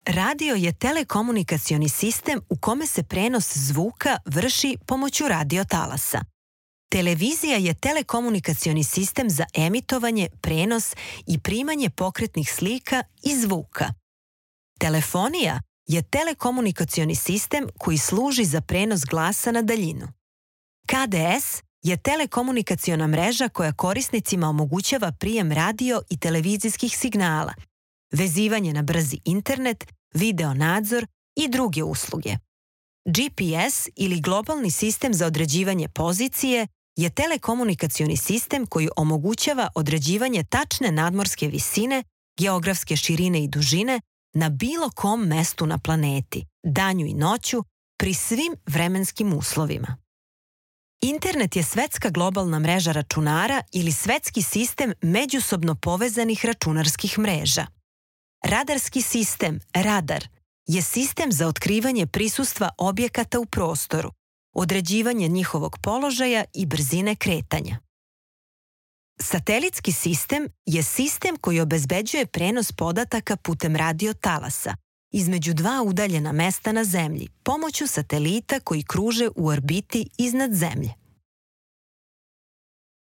Radio je telekomunikacioni sistem u kome se prenos zvuka vrši pomoću radiotalasa. Televizija je telekomunikacioni sistem za emitovanje, prenos i primanje pokretnih slika i zvuka. Telefonija je telekomunikacioni sistem koji služi za prenos glasa na daljinu. KDS je telekomunikaciona mreža koja korisnicima omogućava prijem radio i televizijskih signala, vezivanje na brzi internet, video nadzor i druge usluge. GPS ili globalni sistem za određivanje pozicije je telekomunikacioni sistem koji omogućava određivanje tačne nadmorske visine, geografske širine i dužine na bilo kom mestu na planeti, danju i noću, pri svim vremenskim uslovima. Internet je svetska globalna mreža računara ili svetski sistem međusobno povezanih računarskih mreža. Radarski sistem, radar, je sistem za otkrivanje prisustva objekata u prostoru, određivanje njihovog položaja i brzine kretanja. Satelitski sistem je sistem koji obezbeđuje prenos podataka putem radiotalasa između dva udaljena mesta na Zemlji pomoću satelita koji kruže u orbiti iznad Zemlje.